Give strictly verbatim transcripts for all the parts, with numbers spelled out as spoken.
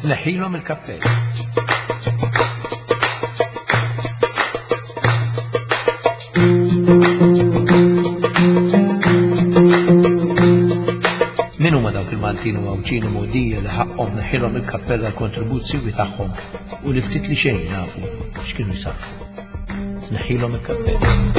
Tneħħilhom il-kappell. Min huma dawk il-Maltin u Għawdxin u Mogħdija li ħaqqhom neħħilhom il-kappell għall-kontribut siwi tagħhom u li ftit li xejn nafu x'kienu jsarrfu. Tneħħilhom il-kappell.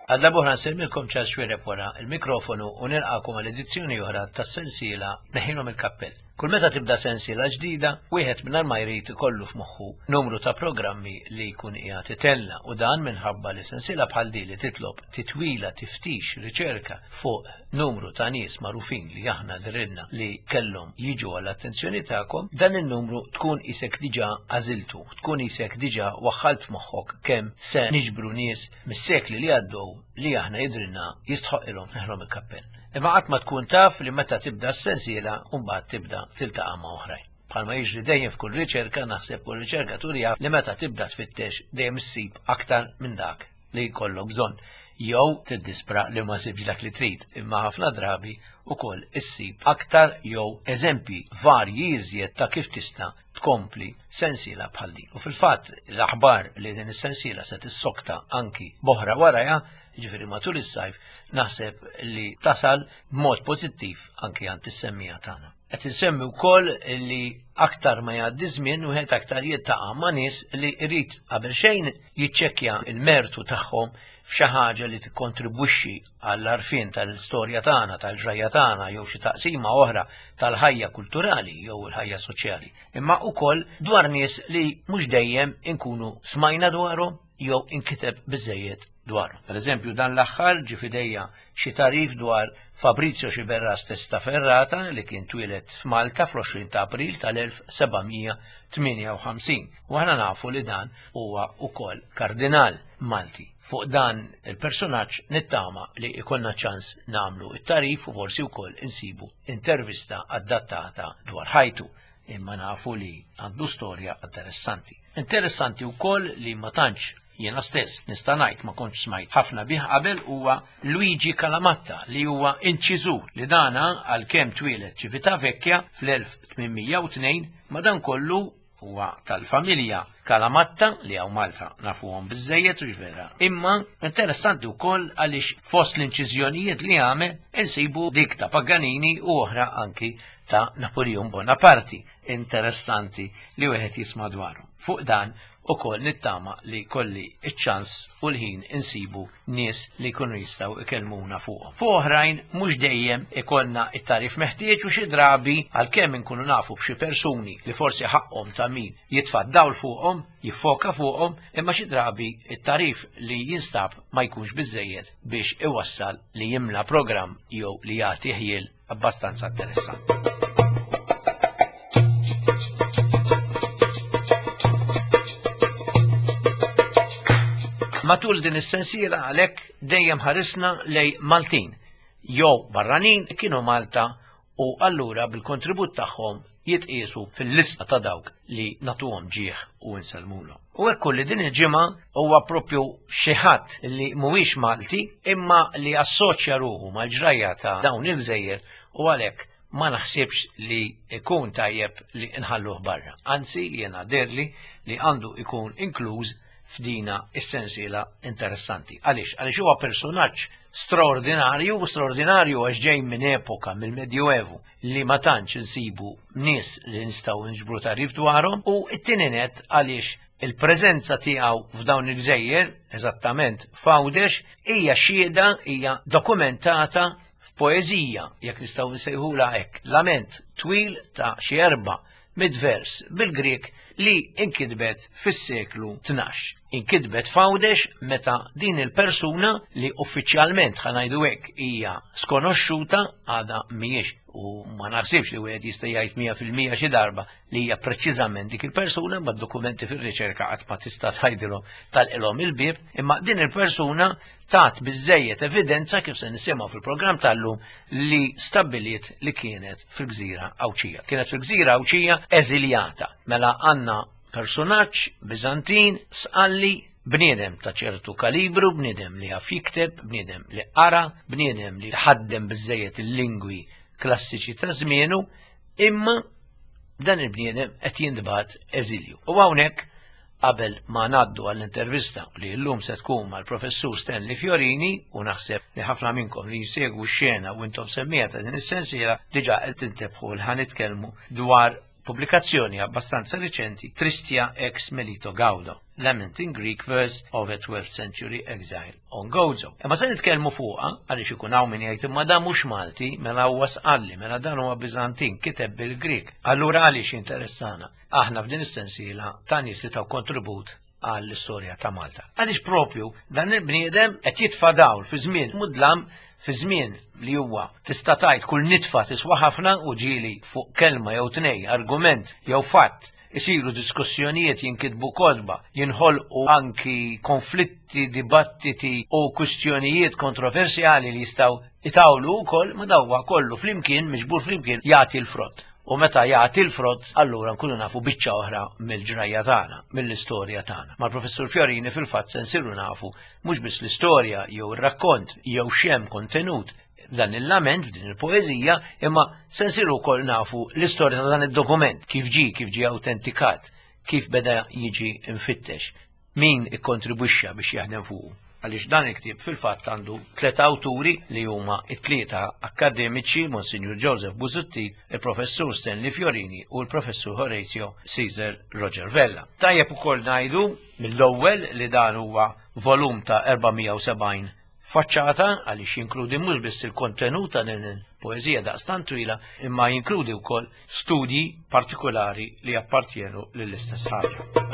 Għal darb'oħra nsellmilkom Charles Xuereb wara il-mikrofonu u nilqakom għal edizzjoni oħra tas-sensiela Neħħilhom il-Kappell. Kull meta tibda sensiela ġdida, wieħed mingħajr ma jrid ikollu f'moħħu numru ta' programmi li jkun qiegħed itella u dan minħabba li sensiela bħal din li titlob titwila tiftix riċerka fuq numru ta' nies magħrufin li aħna drilna li kellhom jiġu għall-attenzjoni tagħkom, dan in-numru tkun isek diġà għażiltu, tkun isek diġà waħħalt f'moħħok kemm se niġbru nies mis-sekli li għaddew li aħna jidrilna jistħoqilhom neħlhom il-kappell. Imma qatt ma tkun taf li meta tibda s-sensiela u mbagħad tibda tiltaqa' ma' oħrajn. Bħalma jiġri dejjem f'kull riċerka, naħseb kull riċerka turija li meta tibda tfittex dejjem issib aktar minn dak li jkollok bżonn. Jew tiddispra li ma sibx dak li trid, imma ħafna drabi ukoll issib aktar jew eżempji varji iżjed ta' kif tista' tkompli sensiela bħal din. U fil-fatt l-aħbar li din is-sensiela se tissokta anki boħra warajha, jiġifieri matul is-sajf, naħseb li tasal b'mod pożittiv anki għand is-semmija tagħna. Qed insemmi wkoll li aktar ma jgħaddi żmien wieħed aktar jiltaqa' ma' nies li jrid qabel xejn jiċċekkja l-mertu tagħhom f'xi ħaġa li tikkontribwixxi għall-għarfien tal-istorja tagħna, tal-ġrajja tagħna jew xi taqsima oħra tal-ħajja kulturali jew il-ħajja soċjali. Imma wkoll dwar nies li mhux dejjem inkunu smajna dwarhom jew inkiteb biżejjed dwarhom. Per eżempju, dan l-aħħar ġie f'idejja xi tagħrif dwar Fabrizio Sciberras Testaferrata li kien twieled f'Malta fl-għoxrin ta' April tal-elf sebgħamija tmienja u ħamsin. U aħna nafu li dan huwa wkoll kardinal Malti. Fuq dan il-personaġġ nittama li ikollna ċans nagħmlu it-tarif u forsi wkoll insibu intervista adattata dwar ħajtu, imma nafu li għandu storja interessanti. Interessanti wkoll li ma tantx jiena stess nista' ngħid ma kontx smajt ħafna bih qabel huwa Luigi Calamatta li huwa inċiżur li dana għalkemm twieled Civitavecchia fl-elf tmien u tnejn, madankollu huwa tal-familja Calamatta li hawn Malta nafuhom biżżejjed u vera. Imma interessanti wkoll għaliex fost l-inċiżjonijiet li għamel insibu dik ta' Paganini u oħra anki ta' Napoleon Bonaparte. Interessanti li wieħed jisma' dwaru. Fuq dan ukoll nittama li kolli iċ-ċans u l-ħin insibu nies li jkunu jistgħu ikellmuna fuqhom. Fuq oħrajn mhux dejjem ikollna it-tarif meħtieġ u xi drabi għalkemm inkunu nafu b'xi persuni li forsi ħaqhom ta' min jitfa' dawl fuqhom, jiffoka fuqhom, imma xi drabi it-tarif li jinstab ma jkunx biżżejjed biex iwassal li jimla programm jew li jagħti ħjiel abbastanza interessanti. Matul din is-sensiela għalhekk dejjem ħarisna lej Maltin jew barranin kienu Malta u allura bil-kontribut tagħhom jitqiesu fil-lista ta' dawk li nagħtuhom ġieħ u nsellmulhom. U hekk li din il-ġimgħa huwa propju xi ħadd li mhuwiex Malti imma li assoċja ruħu mal-ġrajja ta' dawn il-gżejjer u għalhekk ma naħsibx li ikun tajjeb li nħalluh barra. Anzi, jiena derli li għandu ikun inkluż f'dina is-sensiela interessanti. Għaliex? Għaliex huwa personaġġ straordinarju u straordinarju għax ġej minn epoka mill-Medjuevu li ma tantx insibu nies li nistgħu nġbru tagħrif dwarhom u t-tieni nett għaliex il-preżenza tiegħu f'dawn il-gżejjer, eżattament f'Għawdex, hija xhieda, hija dokumentata f'poeżija, jekk nistgħu nsejħulha hekk, lament twil ta' xi erba' mid-vers bil-Grieg li inkitbet fis-seklu tnax. Inkitbet f'Għawdex meta din il-persuna li uffiċjalment ħanajdu hekk hija skonoxxuta għadha mhijiex u ma naħsibx li wieħed jista' jgħid mija fil-mija xi darba li hija preċiżament dik il-persuna, ma d-dokumenti fir-riċerka qatt ma tista' tgħidilhom tal-ilhom il-bieb, imma din il-persuna tat biżżejjed evidenza kif se nisimgħu fil-programm tal-lum li stabbiliet li kienet fil-gżira Għawdxija. Kienet fil-gżira Għawdxija eżiljata. Mela għandna personaġġ Biżantin sqalli, bniedem ta' ċertu kalibru, bniedem li jaf jikteb, bniedem li qara, bniedem li ħaddem biżżejjed il-lingwi klassiċi ta' żmienu, imma dan il-bniedem qed jintbagħat eżilju. U hawnhekk qabel ma ngħaddu għall-intervista li llum se tkun mal-professur Stanley Fiorini, u naħseb li ħafna minnkom li jsegwu x-xena u intom semmija ta' din is-sensiela diġà qed tintebħu li ħa nitkellmu dwar pubblikazzjoni abbastanza riċenti, Tristia ex Melito Gaudo, Lament in Greek Verse of a twelfth Century Exile on Gozo. Imma se nitkellmu fuqha għaliex ikun hawn min jgħid imma dan mhux Malti, mela huwa Sqalli, mela dan huwa Biżantin, kiteb bil-Grieg. Allura għaliex interessana? Aħna f'din is-sensiela ta' nies li taw kontribut għall-istorja ta' Malta. Għaliex propju dan il-bniedem qed jitfa' dawl fi żmien mudlam, fi żmien li huwa tista' tgħid kull nitfa tiswa ħafna, u ġieli fuq kelma jew tnej, argument jew fatt isiru diskussjonijiet, jinkitbu kotba, jinħolqu anki konflitti, dibattiti u kwistjonijiet kontroversjali li jistgħu itawlu wkoll, ma dawwa kollu flimkien, miġbur flimkien, jagħti l-frott. U meta jagħti l-frott, allura nkunu nafu biċċa oħra mill-ġrajja tagħna, mill-istorja tagħna. Mal-professur Fiorini fil-fatt se nsiru nafu mhux biss l-istorja jew ir-rakkont jew x'hemm kontenut dan il-lament f'din il-poeżija, imma se nsiru wkoll nafu l-istorja ta' dan id-dokument, kif ġie, kif ġie awtentikat, kif beda jiġi mfittex, min ikkontribwixxa biex jaħdem fuqu. Għaliex dan il-ktieb fil-fatt għandu tliet awturi li huma t-tlieta akademiċi, Monsignor Joseph Busuttil, il-Professur Stanley Fiorini u l-Professur Horatio Caesar Roger Vella. Tajjeb ukoll ngħidu mill-ewwel li dan huwa volum ta' erba' mija u sebgħin faċċata, għaliex jinkludi mhux biss il-kontenut ta' din il-poeżija daqstant twila, imma jinkludi wkoll studji partikolari li appartjenu lill-istess ħaġa.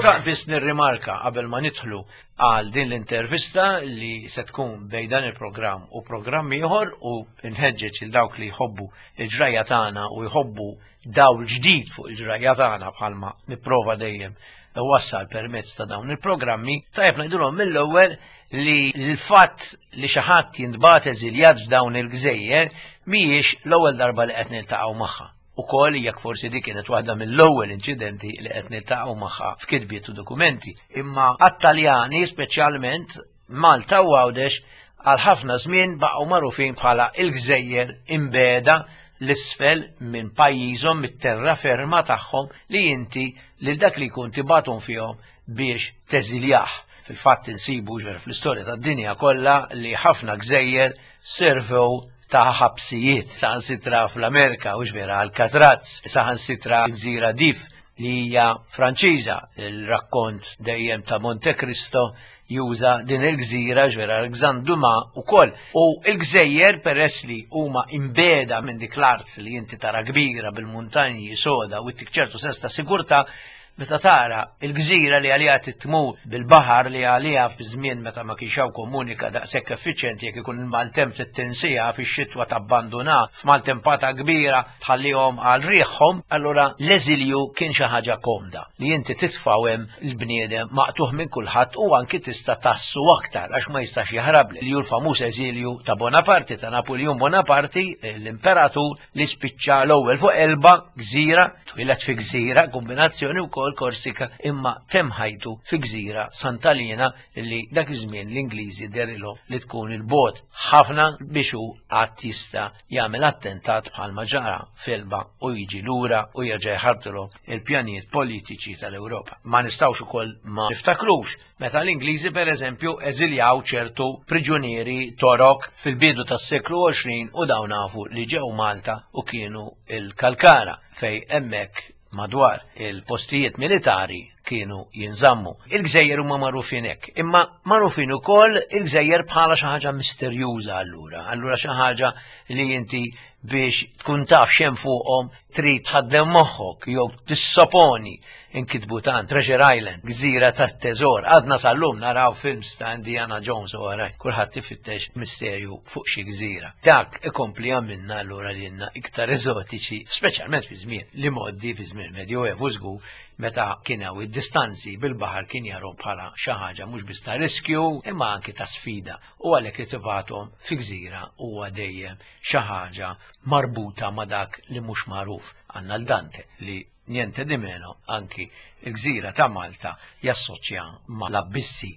Xtaqt biss nirrimarka qabel ma nidħlu għal din l-intervista li se tkun bejn dan il-programm u programm ieħor, u nħeġġeġ il dawk li jħobbu il-ġrajja tagħna u jħobbu dawl ġdid fuq il-ġrajja tagħna bħalma nipprova dejjem wassal permezz ta' dawn il-programmi, tajjeb ngħidulhom mill-ewwel li l-fatt li xi ħadd jintbagħat eżiljat f'dawn il-gżejjer mhijiex l-ewwel darba li qed niltaqgħu magħha. Ukoll jekk forsi dik kienet waħda mill-ewwel inċidenti li qed niltaqgħu magħha f'kitbiet u dokumenti. Imma għat-Taljani speċjalment Malta u Għawdex għal ħafna żmien baqgħu magħrufin bħala il-gżejjer imbeda l-isfel minn pajjiżhom, mit-terra ferma tagħhom, li inti lil dak li jkun tibgħathom fihom biex teżiljah. Fil-fatt insibu ġver fl-istorja tad-dinja kollha li ħafna gżejjer servew ta' ħabsijiet, saħansitra fl-Amerika u ġvera Alcatraz, saħansitra l-gżira Dif li hija Franċiża, il-rakkont dejjem ta' Monte Cristo juża din il-gżira ġvera Alexandre Dumas ukoll. U l-gżejjer peress li huma imbeda minn dik l-art li inti tara kbira bil-muntanji soda u ttik ċertu sens ta' sigurtà, meta tara il-gżira li għaliha titmur bil-baħar li għaliha fi żmien meta ma kienx hawn komunika daqshekk effiċjenti, jekk ikun il-maltemp tittinsija fix-xitwa tabbanduna f'maltempata kbira tħallihom għal riħhom, allura l-eżilju kien xi ħaġa komda li inti titfgħu hemm il-bniedem maqtuħ minn kulħadd u anki tista' tassu aktar għax ma jistax jaħrab, li hu l-famuż eżilju ta' Bonaparte, ta' Napoleon Bonaparte, l-imperatur li spiċċa l-ewwel fuq Elba, gżira, twieled fi gżira, kombinazzjoni wkoll Korsika, imma temm ħajtu fi gżira Sant'Alina li dak iż-żmien l-Ingliżi derilhom li tkun il-bogħod ħafna biex hu qatt jista' jagħmel attentat bħalma ġara f'Elba u jiġi lura u jerġa' jħarbtilhom il-pjanijiet politiċi tal-Ewropa. Ma nistgħux ukoll ma niftakrux meta l-Ingliżi pereżempju eżiljaw ċertu priġunieri Torok fil-bidu tas-seklu għoxrin u dawn nafu li ġew Malta u kienu il-Kalkara fej hemmhekk madwar il-postijiet militari kienu jinżammu. Il-gżejjer huma magħrufin hekk, imma magħrufin ukoll il-gżejjer bħala xi ħaġa misterjuża allura, allura xi ħaġa li inti biex tkun taf x'hemm fuqhom trid tħaddem moħħok jew tissoponi. Inkitbu tant Treasure Island, gżira tat-teżor, għadna sal-lum naraw films ta' Indiana Jones u oħrajn, kulħadd ifittex misterju fuq xi gżira. Dak ikompli għamilna allura lilna iktar eżotiċi, speċjalment fi żmien li mgħoddi, fi żmien Medjoevu żgur, meta kien hawn id-distanzi bil-baħar kien jaraw bħala xi ħaġa mhux biss ta' riskju imma anki ta' sfida, u għalhekk li tibgħathom fi gżira huwa dejjem xi ħaġa marbuta ma' dak li mhux magħruf. Għandna l-Dante li niente di meno anki il-gżira ta' Malta jassoċja ma' l-abbissi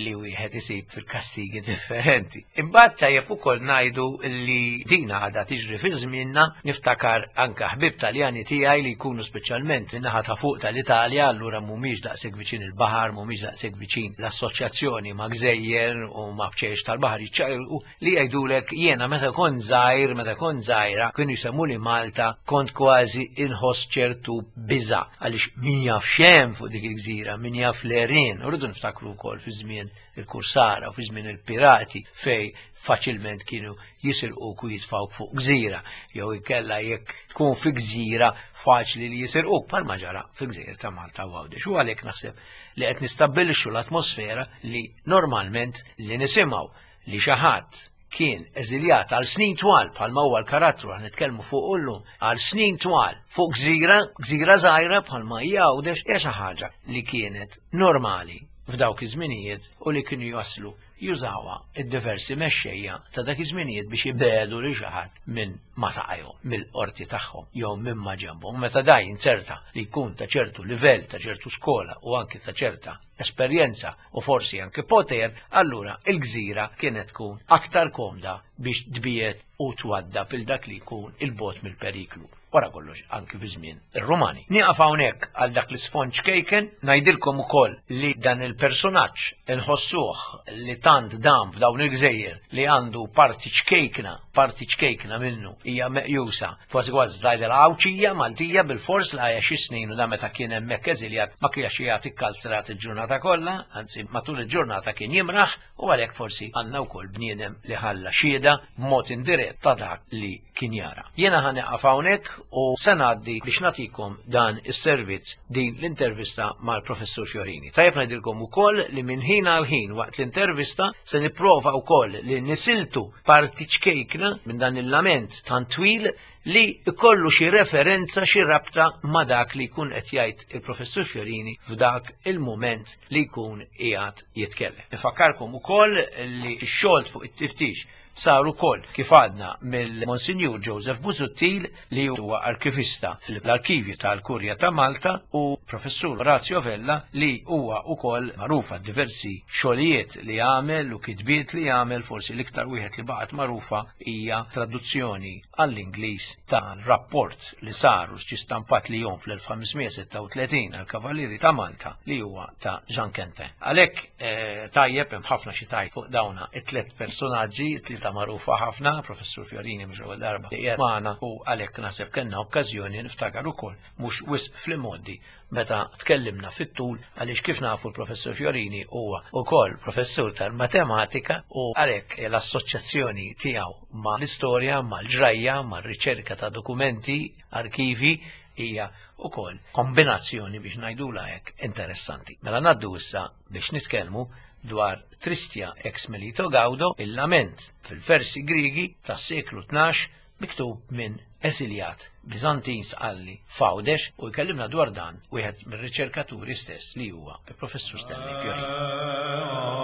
li wieħed isib fil-kastigi differenti. Imbagħad tajjeb ukoll ngħidu li dina għadha tiġri fi żmienna, niftakar anke ħbieb Taljani tiegħi li jkunu speċjalment min-naħa ta' fuq tal-Italja, allura mhumiex daqshekk viċin il-baħar, mhumiex daqshekk viċin l-assoċjazzjoni ma' gżejjer u ma' bċejjex tal-baħar jiċċajru li jgħidulek jiena meta kont żgħir, meta kont żgħira, kienu jsemmuli Malta, kont kważi inħoss ċertu biża' għaliex min jaf x'hemm fuq dik il-gżira, min jaf l-għerien, u rridu niftakru wkoll fi żmien il-kursara u fi żmien il-pirati fej faċilment kienu jisirquk u jitfawk fuq gżira, jew inkella jekk tkun fi gżira faċli li jisirquk bħalma ġara fil-gżejjer ta' Malta u Għawdex. U għalhekk naħseb li qed nistabbilixxu l-atmosfera li normalment li nisimgħu li xi ħadd kien eżiljat għal snin twal bħalma huwa l-karattru għan nitkellmu fuq illum, għal snin twal fuq gżira, gżira żgħira bħalma hija Għawdex, hija xi ħaġa li kienet normali f'dawk iż-żminijiet u li kienu jaslu jużawha id-diversi mexxejja ta' dak iż-żminijiet biex ibedu lil xi ħadd minn ma saqajhom, mill-qorti tagħhom jew minn ma ġenbhom. Meta daj inzerta li jkun ta' ċertu livell, ta' ċertu skola u anki ta' ċerta esperjenza u forsi anke poter, allura il-gżira kienet tkun aktar komda biex tbiet u twadda fil dak li jkun il-bot mill-periklu. Wara kollox anki fi żmien ir-Rumani. Nieqaf hawnhekk għal dak l-isfond ċkejken, ngħidilkom ukoll li dan il-personaġġ inħossuh li tant dam f'dawn il-gżejjer li għandu parti ċkejkna, parti ċkejkna minnu hija meqjusa kważi kważi tgħidilha Għawdxija Maltija bil-fors la hija xi snin u da meta kien hemmhekk eżiljat ma kienx jagħti kkalzrat il-ġurnata kollha, anzi matul il-ġurnata kien jimraħ u għalhekk forsi għandna wkoll bniedem li ħalla xhieda b'mod indirett ta' dak li kien jara. Jiena ħa nieqaf hawnhekk u se ngħaddi biex nagħtikom dan is-servizz din l-intervista mal-Professur Fiorini. Tajjeb ngħidilkom ukoll li minn ħin għal ħin waqt l-intervista se nipprova wkoll li nisiltu parti ċkejkna minn dan il-lament tant twil li ikollu xi referenza, xi rabta ma' dak li jkun qed jgħid il-Professur Fiorini f'dak il-mument li jkun qiegħed jitkellem. Nifakkarkom ukoll li x-xogħol fuq it-tiftix sar ukoll kif għadna mill-Monsinjur Joseph Busuttil li huwa arkivista fl-arkivju tal-Kurja ta' Malta u Professur Orazio Vella li huwa ukoll magħruf għal diversi xogħlijiet li għamel u kitbiet li għamel, forsi l-iktar wieħed li baqgħet magħrufa hija traduzzjoni għall-Ingliż ta' rapport li saru ġie stampat li jom fl-elf ħamesmija sitta u tletin għall-Kavallieri ta' Malta li huwa ta' Jean Quentin. Għalhekk, eh, tajjeb hemm ħafna xi tajt fuq dawna it-tliet personaġġi, it-tlieta magħrufa ħafna, Professur Fiorini mhux ewwel darba li qiegħed magħna u għalhekk naħseb kellna okkażjoni niftakar ukoll mhux wisq fl-imgħoddi meta tkellimna fit-tul għaliex kif nafu l-Professur Fiorini huwa ukoll professur tal-matematika u għalhekk l-assoċjazzjoni tiegħu ma' l-istorja, mal-ġrajja, mar-riċerka ta' dokumenti, arkivi hija ukoll kombinazzjoni biex ngħidulha hekk interessanti. Mela ngħaddu issa biex nitkellmu dwar Tristia ex Melito Gaudo, il-lament fil-versi Griegi tas-seklu tnax miktub minn eżiljat Bizantin Sqalli f'Għawdex u jkellimna dwar dan wieħed mir-riċerkaturi stess li huwa il-Professur Stanley Fiorini.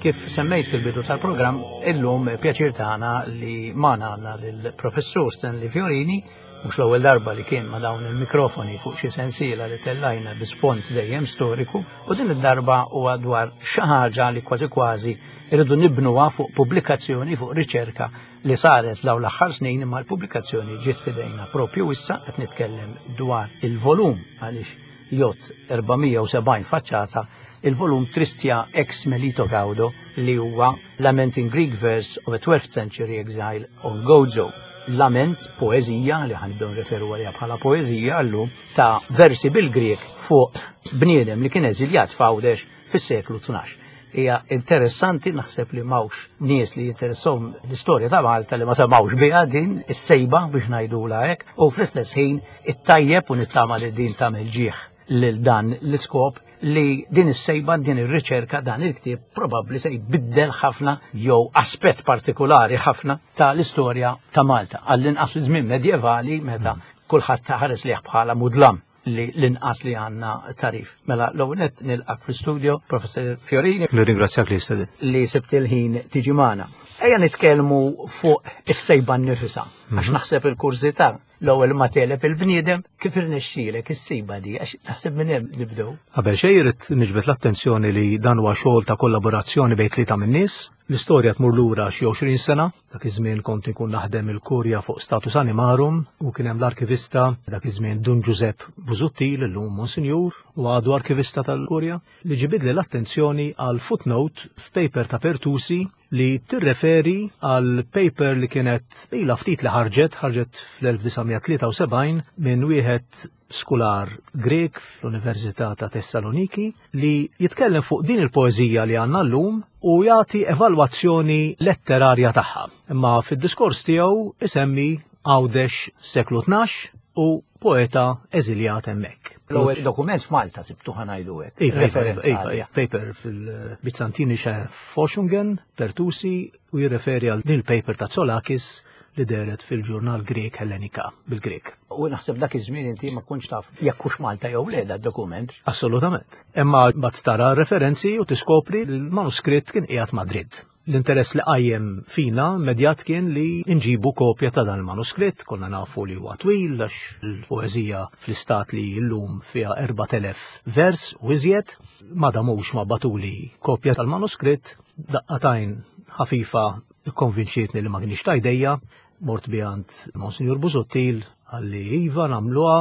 Kif semmejt fil-bidu tal-programm, illum pjaċir tagħna li magħna għandna lill-Professur Stanley Fiorini, mhux l-ewwel darba li kien ma' dawn il-mikrofoni fuq xi sensiela li tellajna bi sfond dejjem storiku, u din id-darba huwa dwar xi ħaġa li kważi kważi irridu nibnuha fuq pubblikazzjoni, fuq riċerka li saret dawn l-aħħar snin, imma l-pubblikazzjoni ġiet f'idejna propju issa. Qed nitkellem dwar il-volum għaliex jgħodd erba' mija u sebgħin faċċata, il-volum Tristia ex Melito Gaudo li huwa Lament in Greek Verse of a twelfth Century Exile on Gozo. Lament, poezija, li ħanibdew nreferu għaliha bħala poezija llum, ta' versi bil-Grek fuq bniedem li kien eżiljat f'Għawdex fis-seklu tnax. Hija interessanti, naħseb li m'hawnx nies li jinteressahom l-istorja ta' Malta li ma semgħux biha din is-sejba biex ngħidulha hekk, u fl-istess ħin it-tajjeb u nittama li din tagħmel ġieħ lil dan l-iskop li din is-sejba, din ir-riċerka, dan il-ktieb probabbli se jbiddel ħafna jew aspett partikolari ħafna ta' l-istorja ta' Malta. Għall-inqas fi żmien medjevali meta kulħadd ħares lejh bħala mudlam li l-inqas li għandna tagħrif. Mela l-ewwel nett nilqak fl-studio, Professor Fiorini. Nirringrazzjak li stedint. Li sibt il-ħin tiġi magħna. Ejja nitkellmu fuq is-sejba nnifisha, għax naħseb il-kurżità l-ewwel ma tegħleb il-bniedem kif irnexxielek is-sejba di, għax naħseb minn hemm nibdew. Qabel xejn irid niġbed l-attenzjoni li dan huwa xogħol ta' kollaborazzjoni bejn tlieta min-nies. L-istorja tmur lura xi għoxrin sena, dak iż-żmien kont inkun naħdem il-Kurja fuq Status Animarum u kien hemm l-arkivista dak iż-żmien Dun Giuseppe Busuttil, illum Monsinjur, u għadu arkivista tal-Kurja, li ġibidli l-attenzjoni għal footnote f'paper ta' Pertusi li tirreferi għal paper li kienet ilha ftit li ħarġet, ħarġet fl-elf disa' tlieta u sebgħin minn wieħed skular Grek fl-Università ta' Tessaloniki li jitkellem fuq din il-poeżija li għandna llum u jagħti evalwazzjoni letterarja tagħha. Imma fid-diskors tiegħu isemmi Għawdex seklu tnax u poeta eżiljat hemmhekk. L-ewwel dokument f'Malta sibtu ħa ngħidu hekk. Iva, iva, Referenza iva, għalija. Paper fil-Byzantinische Forschungen, Pertusi, u jirreferi għal din il-paper ta' Tsolakis li dehret fil-ġurnal Grek Hellenika bil-Grek. U naħseb dak iż-żmien inti ma kontx taf jekk hux Malta jew le da dokument. Assolutament. Imma mbagħad tara referenzi u tiskopri li l-manuskritt kien qiegħed Madrid. L-interess li qajjem fina immedjat kien li nġibu kopja ta' dan il-manuskritt, konna nafu li huwa twil għax il-poeżija fl-istat li llum fiha erbat elef vers u iżjed, ma damux ma batuli kopja tal-manuskritt, daqqatajn ħafifa ikkonvinċietni li ma kienx ta' idejja, mort bi għand Monsinjur Busuttil, għalli iva nagħmluha,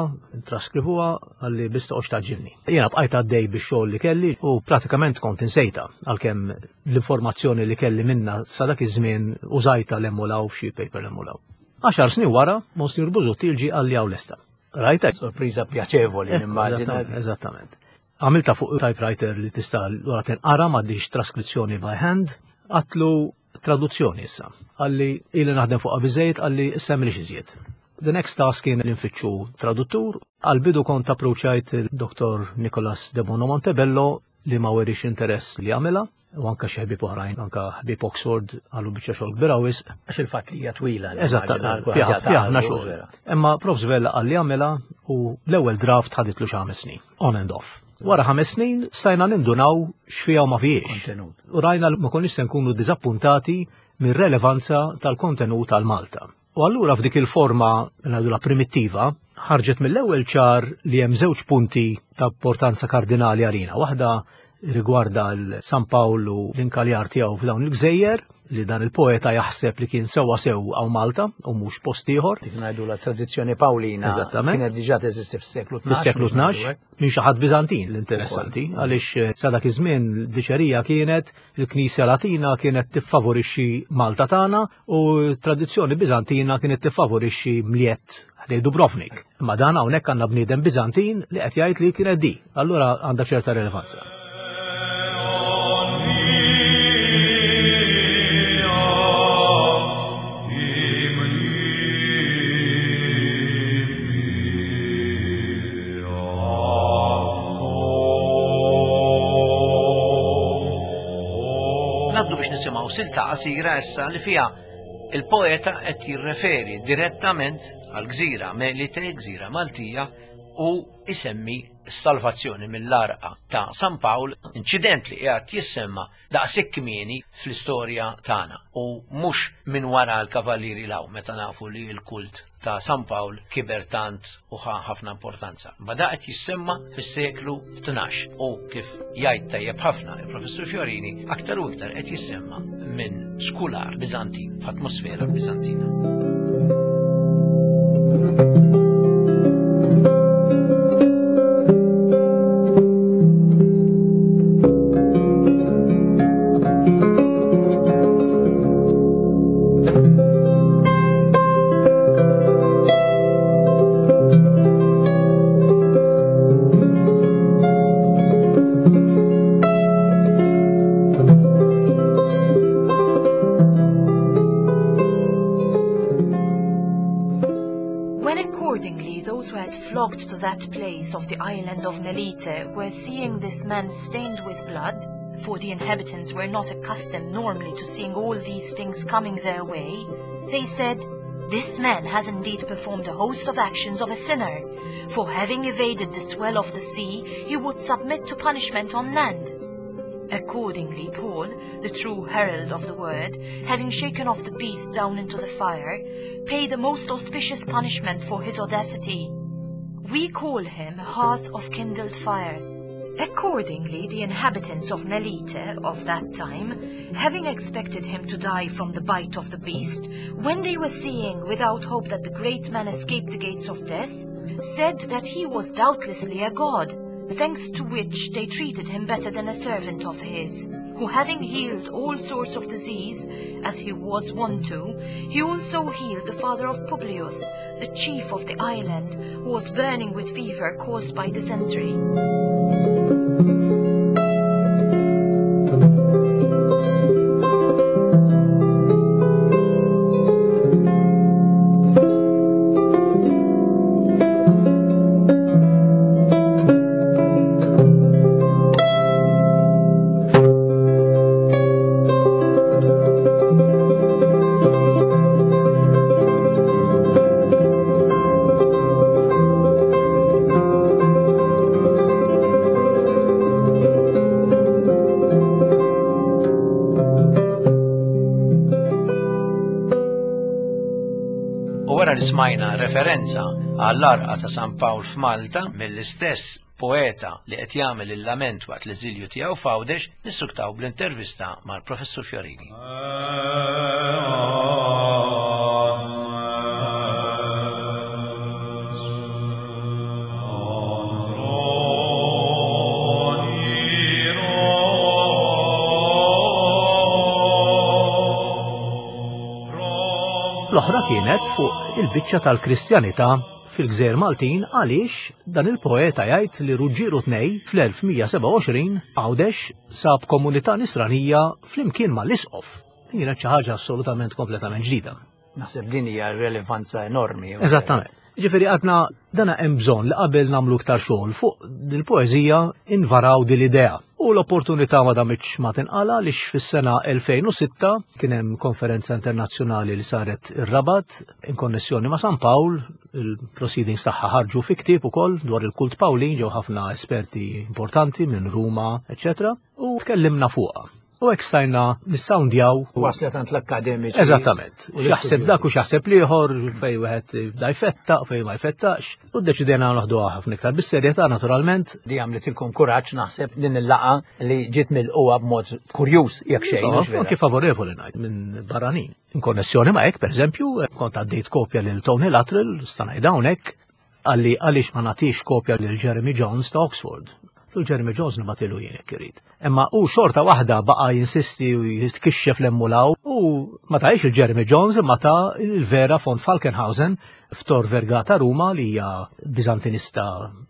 traskrivuha, għalli biss toqgħodx taġġilni. Jiena bqajt għaddej bix-xogħol li kelli u pratikament kont insejta, għalkemm l-informazzjoni li kelli minna sa dak iż-żmien użajta l-emulaw f'xi paper l-emulaw. Għaxar snin wara, Monsinjur Busuttil ġie għalli hawn lesta. Rajtek? Sorpriża pjaċevoli, Eh, nimmaġina. Eżattament, eżattament. Għamilta fuq typewriter li tista' wara tinqara m'għaddix traskrizzjoni by hand, għatlu traduzzjoni issa. Għalli ili naħdem fuqha biżejjed, għalli issa m'ilix iżjed. The next task kien li nfittxu traduttur. Għal-bidu kont approċċajt il-Doktor Nicolas de Bono Montebello li ma werix interess li għamilha, u anka xi ħbieb oħrajn, anka ħbieb Oxford għalu biċċa xogħol kbira wisq. Għax il-fatt li hija twila, li Eżatt, immaġina fiha kulħadd fiha ħafna jagħtu, xogħol. vera. Imma Profs Vella qal li għamilha u l-ewwel draft ħaditlu xi ħames snin, on and off. Wara ħames snin stajna nindunaw x'fiha u ma fihiex. Kontenut. U rajna li ma konniex se nkunu diżappuntati mir-relevanza tal-kontenut tal-Malta. U allura f'dik il-forma, ngħidula primittiva, ħarġet mill-ewwel ċar li hemm żewġ punti ta' importanza kardinali għalina. Waħda rigwarda l-San Pawl u l-inkaljar tiegħu f'dawn il-gżejjer, li dan il-poeta jaħseb li kien sewwa sew hawn Malta u mhux post ieħor. Dik ngħidu la tradizzjoni Pawlina Eżattament. kienet diġà teżisti fis-seklu tnax, Fis-seklu biex tnax, ngħidu hekk. minn xi ħadd Biżantin l-interessanti, Ukoll. għaliex, eh, sa dak iż-żmien l-diċerija kienet il-Knisja Latina kienet tiffavorixxi Malta tagħna u t-tradizzjoni Biżantina kienet tiffavorixxi Mliet ħdej Dubrovnik. Imma dan hawnhekk għandna bniedem Biżantin li qed jgħid li kienet di. Allura għandha ċerta rilevanza. Naddu biex nisimgħu silta qasira issa li fiha il-poeta qed jirreferi direttament għal gżira Melite, gżira Maltija, u isemmi s-salvazzjoni mill-arqa ta' San Pawl, inċident li qiegħed jissemma daqshekk kmieni fl-istorja tagħna u mhux minn wara l-Kavallieri law meta nafu li l-kult ta' San Pawl kiber tant u ħa ħafna importanza. Ma da qed jissemma fis-seklu tnax u kif jgħid tajjeb ħafna il-Professur Fiorini aktar u iktar qed jissemma minn skular Biżantin f'atmosfera Biżantina. Thank When accordingly those who had flocked to that place of the island of Melite were seeing this man stained with blood, for the inhabitants were not accustomed normally to seeing all these things coming their way, they said, "This man has indeed performed a host of actions of a sinner, for having evaded the swell of the sea, he would submit to punishment on land." Accordingly, Paul, the true herald of the word, having shaken off the beast down into the fire, paid a most auspicious punishment for his audacity. We call him hearth of kindled fire. Accordingly, the inhabitants of Melite of that time, having expected him to die from the bite of the beast, when they were seeing without hope that the great man escaped the gates of death, said that he was doubtlessly a god, thanks to which they treated him better than a servant of his, who having healed all sorts of disease, as he was wont to, he also healed the father of Publius, the chief of the island, who was burning with fever caused by dysentery. U wara li smajna referenza għall-arqa ta' San Pawl f'Malta mill-istess poeta li qed jagħmel il-lament waqt l-eżilju tiegħu f'Għawdex, nissuktaw bl-intervista mal-Professur Fiorini. L-oħra kienet fuq il-biċċa tal-Kristjanità fil-Gżejjer Maltin, għaliex dan il-poeta jgħid li Ruġġieru tnej fl-elf mija sebgħa u għoxrin Għawdex sab komunità nisranija flimkien mal-Isqof. Din kienet xi ħaġa assolutament kompletament ġdida. Naħseb din hija rilevanza enormi. Eżattament. Ġifieri għadna dana hemm bżonn li qabel nagħmlu iktar xogħol fuq dil-poeżija invaraw din l-idea. U l-opportunità ma damitx ma tinqala għaliex fis-sena elfejn u sitta kien hemm konferenza internazzjonali li saret ir-Rabat in konnessjoni ma' San Pawl, il-proceedings tagħha ħarġu fi ktieb ukoll dwar il-kult Pawlin, ġew ħafna esperti importanti minn Ruma, eċċetera, u tkellimna fuqha. U hekk stajna nissawndjaw. Waslet għand l-akkademiċi. Eżattament. U X'jaħseb dak u x'jaħseb l-ieħor, fejn wieħed jibda jfettaq, fejn ma jfettaqx. U ddeċidejna noħduha ħafna iktar bis-serjetà naturalment. Di għamlitilkom kuraġġ naħseb din il-laqgħa li ġiet milquha b'mod kurjuż jekk xejn, Iva, mhux vera? Anke favorevoli ngħid minn barranin. In konnessjoni ma' hekk, pereżempju, kont għaddejt kopja lil Tony Luttrell, sta ngħid hawnhekk, għalli għaliex ma nagħtix kopja lil Jeremy Jones ta' Oxford. Tu Jeremy Jones nibgħatilu jien jekk irid. Imma u xorta waħda baqa' jinsisti u jitkixxef l-emmulaw u ma tgħix il-Jeremy Jones imma ta' il-Vera von Falkenhausen f'Tor Vergata Ruma li hija Bizantinista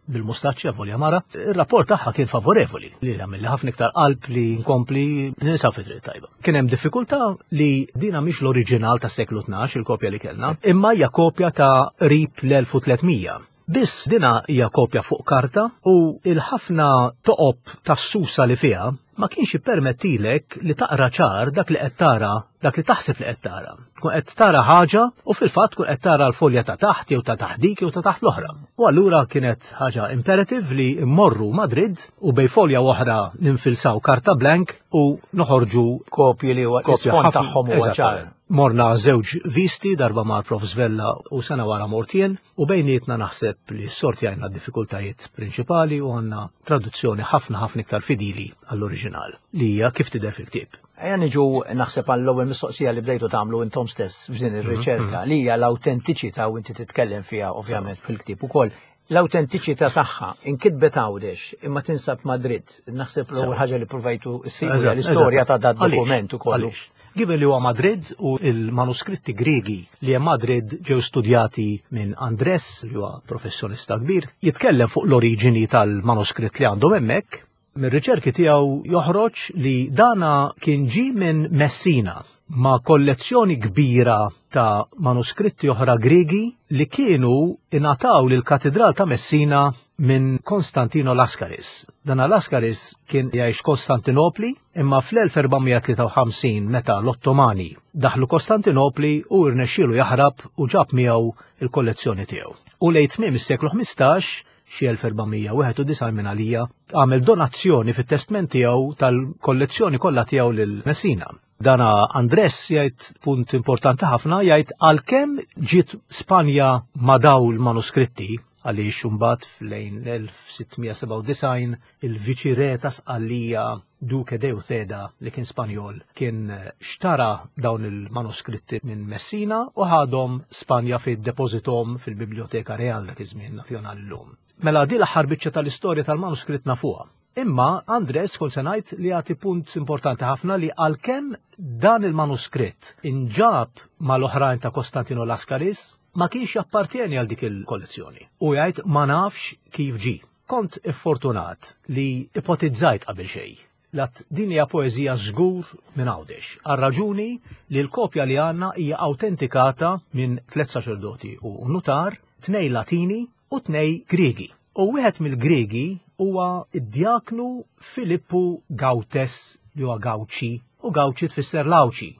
bil-mustaċċja volja mara. Ir-rapport tagħha kien favorevoli li għamilli ħafna iktar qalb li nkompli nisa fi triq tajba. Kien hemm diffikultà li dina mhix l-oriġinal tas-seklu tnax il-kopja li kellna, imma hija kopja ta' qrib l-elf u tliet mija. Biss dina hija kopja fuq karta u il-ħafna toqob tas-susa li fiha ma kienx jippermettilek li taqra ċar dak li qed tara, dak li taħseb li qed tara. Tkun qed tara ħaġa u fil-fatt tkun qed tara l-folja ta' taħt jew ta' taħt dik jew ta' taħt l-oħra. U allura kienet ħaġa imperative li mmorru Madrid u bej folja oħra ninfilsaw karta blank u noħorġu kopji li huwa kopja l-isfond ħafna- tagħhom huwa Eżatt. ċar. Morna żewġ visti, darba ma' Prof Svella u sena wara mortien, u bejnietna naħseb li s-sorti għajna diffikultajiet prinċipali u għandna traduzzjoni ħafna ħafna iktar fidili għall-oriġinal, li hija kif tidher fil-ktieb. Ejja niġu naħseb għall-ewwel mistoqsija li bdejtu tagħmlu intom stess f'din ir-riċerka, Mhm. li hija l-awtentiċità u inti titkellem fiha ovvjament fil-ktieb ukoll. L-awtentiċità tagħha inkitbet Għawdex imma tinsab Madrid. Naħseb l-ewwel ħaġa li provajtu ssibu hija Eżatt, l-istorja eżatt. ta' dat Għaliex? dokument ukoll. Għaliex? Given li huwa Madrid u il-manuskritti Griegi li hemm Madrid ġew studjati minn Andres, li huwa professjonista kbir, jitkellem fuq l-oriġini tal-manuskritt li għandhom hemmhekk. Mir-riċerki tiegħu joħroġ li dana kien ġi minn Messina ma' kollezzjoni kbira ta' manuskritti oħra Griegi li kienu ingħataw lill-Katidral ta' Messina minn Konstantino Laskaris. Dan Laskaris kien jgħix Kostantinopli, imma fl-elf erba' mija tlieta u ħamsin meta l-Ottomani daħlu Kostantinopli u rnexxielu jaħrab u ġab miegħu il-kollezzjoni tiegħu. U lejn tmiem is-seklu ħmistax, xi elf erba' mija wieħed u disgħin minn għalija, għamel donazzjoni fit-testment tiegħu tal-kollezzjoni kollha tiegħu lil Messina. Dana Andres jgħid punt importanti ħafna, jgħid għalkemm ġiet Spanja ma' daw l-manuskritti, għaliex imbagħad f'lejn l-elf sitt mija sebgħa u disgħin il-viċirè ta' Sqallija Duke de Uceda li kien Spanjol kien xtara dawn il-manuskritti minn Messina u ħadhom Spanja fid-depożitom fil-Biblioteka Real dak iż-żmien nazzjonali llum. Mela di l-aħħar biċċa tal-istorja tal-manuskritt nafuha. Imma Andres kol se ngħid li jagħti punt importanti ħafna li għalkemm dan il-manuskritt inġab mal-oħrajn ta' Konstantino Laskaris ma kienx jappartieni għal dik il-kollezzjoni. U jgħid ma nafx kif ġi. Kont iffortunat li ipotizzajt qabel xejn. Lat din hija poeżija żgur minn Għawdex, għal raġuni li l-kopja li għandna hija autentikata minn tliet saċerdoti u nutar, tnej Latini u tnej Griegi. U wieħed mill-Griegi huwa id-djaknu Filippu Gautes li huwa Gawċi, u Gawċi tfisser Lawċi.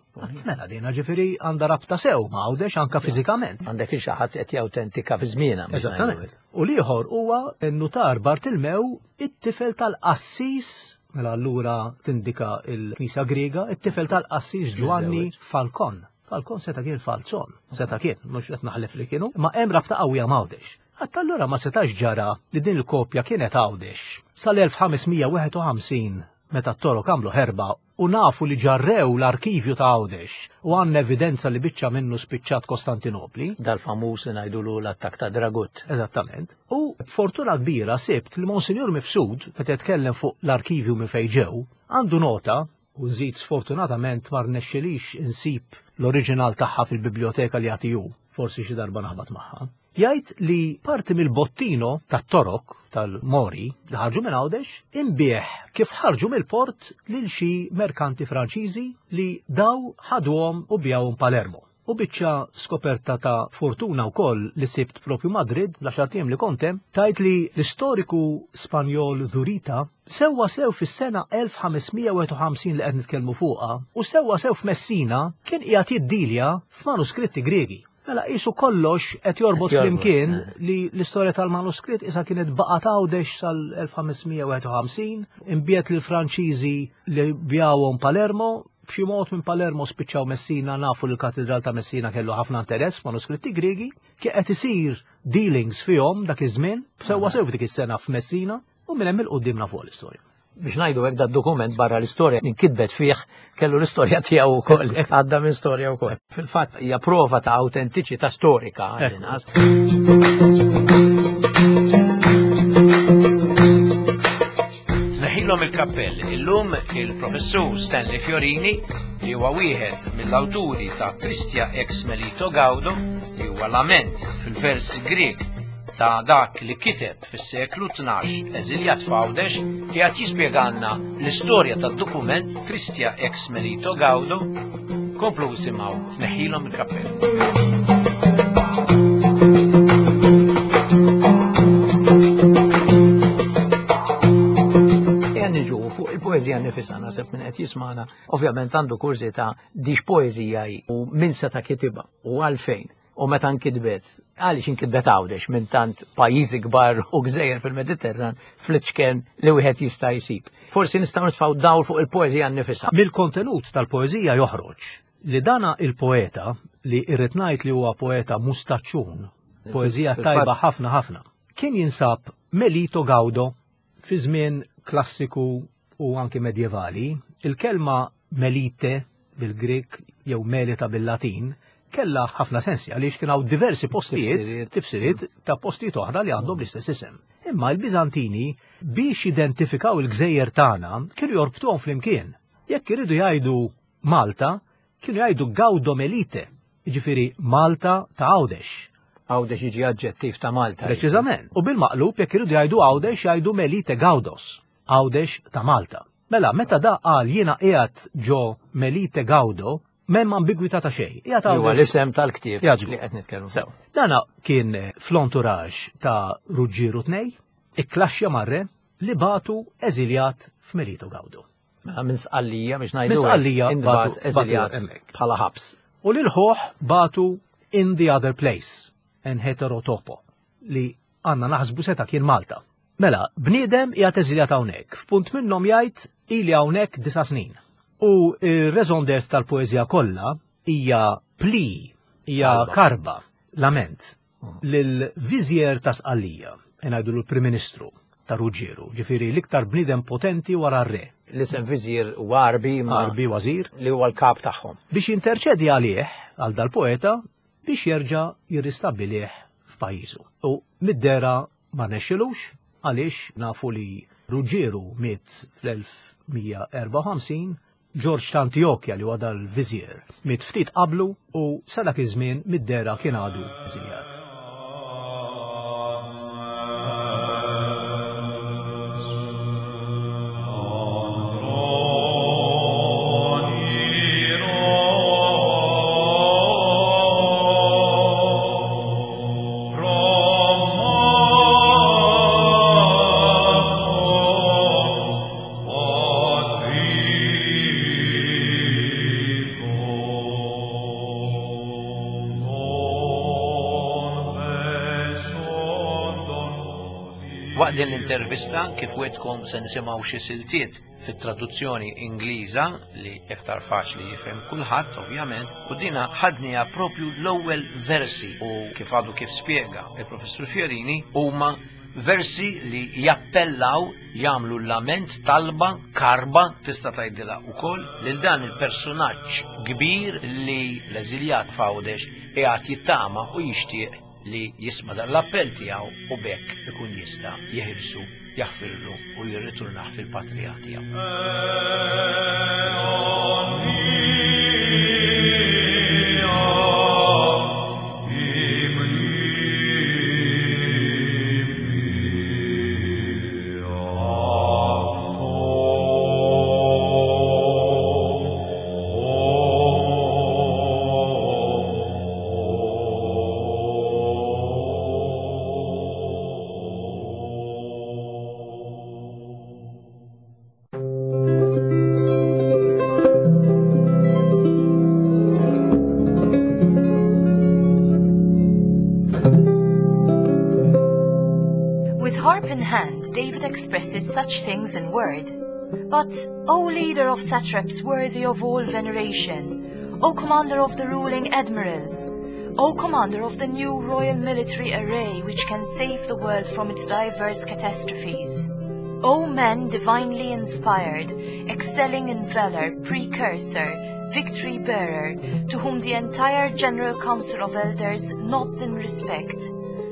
Mela dina ġifieri għandha rabta sew ma' Għawdex anka fiżikament. Għandek il xi ħadd qed jawtentika fi żmienha, biex Eżattament. ngħidu. U l-ieħor huwa n-nutar Bartilmew, it-tifel tal-qassis, mela allura tindika il-Knisja Griega, it-tifel tal-qassis Giovanni Miżżewweġ. Falcon. Falcon seta' kien Falzon, seta' kien, mhux qed naħlef li kienu, ma hemm rabta qawwija ma' Għawdex. Hatta allura ma setax ġara li din il-kopja kienet Għawdex sal-elf ħames mija wieħed u ħamsin meta t-Torok għamlu ħerba u nafu li ġarrew l-arkivju ta' Għawdex u għandna evidenza li biċċa minnu spiċċat Kostantinopli. Dal-famuż li ngħidulu l-attak ta' Dragut. Eżattament. U fortuna kbira sibt li Monsinjur Mifsud, meta jitkellem fuq l-arkivju minn fejn ġew, għandu nota, u nżid sfortunatament ma rnexxilix insib l-oriġinal tagħha fil-biblioteka li jagħti hu, forsi xi darba naħbat magħha. Jgħid li parti mill-bottino tat-Torok tal-Mori li ħarġu minn Għawdex imbieħ kif ħarġu mill-port lil xi merkanti Franċiżi li daw ħaduhom u bjawhom Palermo. U biċċa skoperta ta' fortuna wkoll li sibt propju Madrid l-għaxar ijiem li kontem, tajt li l-istoriku Spanjol Zurita sewwa sew fis-sena elf ħames mija wieħed u ħamsin li qed nitkellmu fuqha u sewwa sew f'Messina kien qiegħed jiddilja f'manuskritti Griegi. Mela qisu kollox qed jorbot Qed jorbot, flimkien eh. li l-istorja tal-manuskritt issa kienet baqgħet Għawdex sal-elf ħames mija wieħed u ħamsin, imbiet lil Franċiżi li bjawhom Palermo, b'xi mod minn Palermo spiċċaw Messina, nafu li l-Katedral ta' Messina kellu ħafna interess f'manuskritti Griegi, kien qed isir dealings fihom dak iż-żmien, sewwa sew f'dik is-sena f'Messina, u minn hemm il-quddiem nafu l-istorja. Biex ngħidu hekk dad-dokument barra l-istorja inkitbet fih kellu l-istorja tiegħu wkoll, għadda minn storja wkoll. Fil-fatt hija prova ta' autentiċità storika għall-inqas. Neħilhom il-kappell illum il-professur Stanley Fiorini li huwa wieħed mill-awturi ta' Tristia ex Melito Gaudo li huwa lament fil-vers Grieg ta' dak li kiteb fis-seklu tnax eżiljat f'Għawdex li qed jispjegalna l-istorja tad-dokument Tristia ex Melito Gaudo. Komplu isimgħu Neħilhom il-kappell. Ejja niġu fuq il-poeżija nifisha, naħseb min qed jismagħna ovvjament għandu kurżità dix poeżija hi u min seta' kitibha u għalfejn. U meta nkitbet, għaliex inkitbet Għawdex minn tant pajjiżi kbar u gżejjer fil-Mediterran fl-iċken li wieħed jista' jsib. Forsi nistgħu nitfgħu dawl fuq il-poeżija nnifisha. Mill-kontenut tal-poeżija joħroġ li dana il-poeta li irrid ngħid li huwa poeta mustaċċun, poeżija Fil-fatt tajba ħafna ħafna, kien jinsab Melito Gaudo fi żmien klassiku u anki medjevali. Il-kelma Melite bil-Grek jew Melita bil-Latin kella ħafna sensi għaliex kien hawn diversi postijiet, Tifsiriet. tifsiriet ta' postijiet oħra li għandhom l-istess isem. Imma l-Biżantini biex identifikaw il-gżejjer tagħna kienu jorbtuhom flimkien. Jekk iridu jgħidu Malta, kienu jgħidu Gaudo Melite, jiġifieri Malta ta' Għawdex. Għawdex jiġi aġġettiv ta' Malta. Preċiżament. U bil-maqlub jekk iridu jgħidu Għawdex jgħidu Melite Gaudos, Għawdex ta' Malta. Mela, meta da qal jiena qiegħed ġo Melite Gaudo, M'hemm ambigwità ta' xejn. Qiegħed Huwa l-isem tal-ktieb li qed nitkellmu. Sew. Dana kien fl-entourage ta' Ruġġieru tnej, ikklaxxja mar-re li bagħtu eżiljat f'Melito Gawdu. Mela minn Sqallija biex ngħidu. Minn Sqallija intbagħat eżiljat bħala ħabs. U lil ħuh bagħtu in the other place, en heterotopo, li għandna naħsbu seta' kien Malta. Mela, bniedem qiegħed eżiljat hawnhekk, f'punt minnhom jgħid ili hawnhekk disa' snin. U r-raison d'être tal-poeżija kollha hija pli, hija karba, lament, lil-viżjer ta' Sqallija, ngħidu l-Prim Ministru ta' Ruġġieru, ġifieri l-iktar bniedem potenti wara r-re. L-isem viżir u Arbi ma' Arbi Wazir. Li huwa l-kap tagħhom. Biex jinterċedi għalih, għal dal-poeta, biex jerġa' jirristabbilih f'pajjiżu. U mid-dera ma rnexxilux, għaliex nafu li Ruġġieru miet fl-elf mija erbgħa u ħamsin, Ġorġ ta' Antiochia li huwa dal-viżjer miet ftit qablu u sa dak iż-żmien mid-dera kien għadu eżiljat. Waqt din l-intervista kif wetkom se nisimgħu xi siltiet fit-traduzzjoni Ingliża li iktar faċli jifhem kulħadd ovvjament, u dina ħadniha propju l-ewwel versi u kif għadu kif spjega il-Professur Fiorini huma versi li jappellaw, jagħmlu lament, talba, karba, tista' tgħidilha wkoll lil dan il-personaġġ kbir li l-eżiljat f'Għawdex qiegħed jittama u jixtieq li jisma' dan l-appell tiegħu u bekk ikun jista' jeħilsu, jaħfirlu u jirritornah fil-patrija tiegħu. David expresses such things in word. But, O leader of satraps worthy of all veneration, O commander of the ruling admirals, O commander of the new royal military array which can save the world from its diverse catastrophes, O man divinely inspired, excelling in valor, precursor, victory bearer, to whom the entire General Council of Elders nods in respect,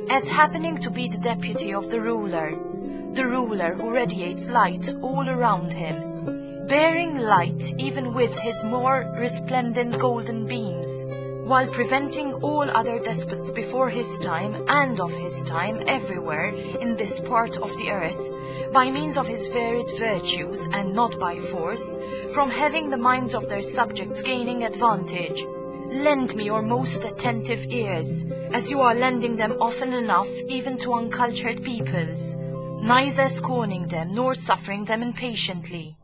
as happening to be the deputy of the ruler, the ruler who radiates light all around him, bearing light even with his more resplendent golden beams, while preventing all other despots before his time and of his time everywhere in this part of the earth, by means of his varied virtues and not by force, from having the minds of their subjects gaining advantage. Lend me your most attentive ears, as you are lending them often enough even to uncultured peoples, neither scorning them nor suffering them impatiently.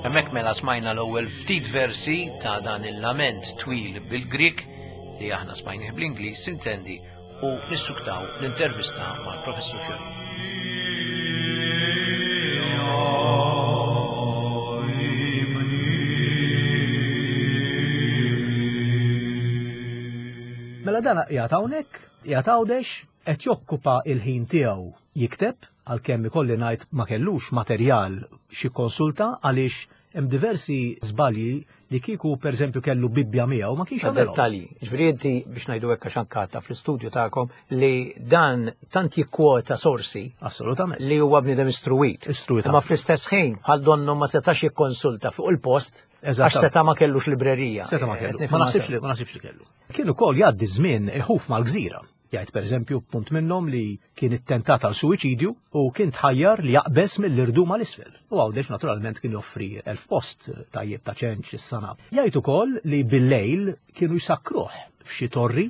Hemmhekk mela smajna l-ewwel ftit versi ta' dan il-lament twil bil-Grik li aħna smajnih bl-Ingliż sintendi u nissuktaw l-intervista mal-Professur Fiorini. Mela dan qiegħed hawnhekk, qiegħed Għawdex, qed jokkupa il-ħin tiegħu jikteb, għalkemm ikolli ngħid ma kellux materjal xi konsulta għaliex Hemm diversi żbalji li kieku pereżempju kellu Bibbja miegħu ma kienx jagħmelhom. Dettalji. Ġifieri inti biex ngħidu hekk għax anke fl-istudju tagħkom li dan tant jikkwota sorsi Assolutament. li huwa bniedem istruwit. Istruwit Imma ħafna. fl-istess ħin bħal donnu ma setax jikkonsulta fuq il-post għax Eżattament. seta' ma kellux librerija. Seta' ma kellu. Qed nifhem Ma naħsibx sew. li ma naħsibx li kellu. Kien ukoll jgħaddi żmien iħuf mal-gżira. Jgħid pereżempju punt minnhom li kien ittentat għal suwiċidju u kien tħajjar li jaqbeż mill-irdum għal isfel. U Għawdex naturalment kien joffri elf post tajjeb ta' ċenċ is-sana. Jgħid ukoll li bil-lejl kienu jsakruh f'xi torri,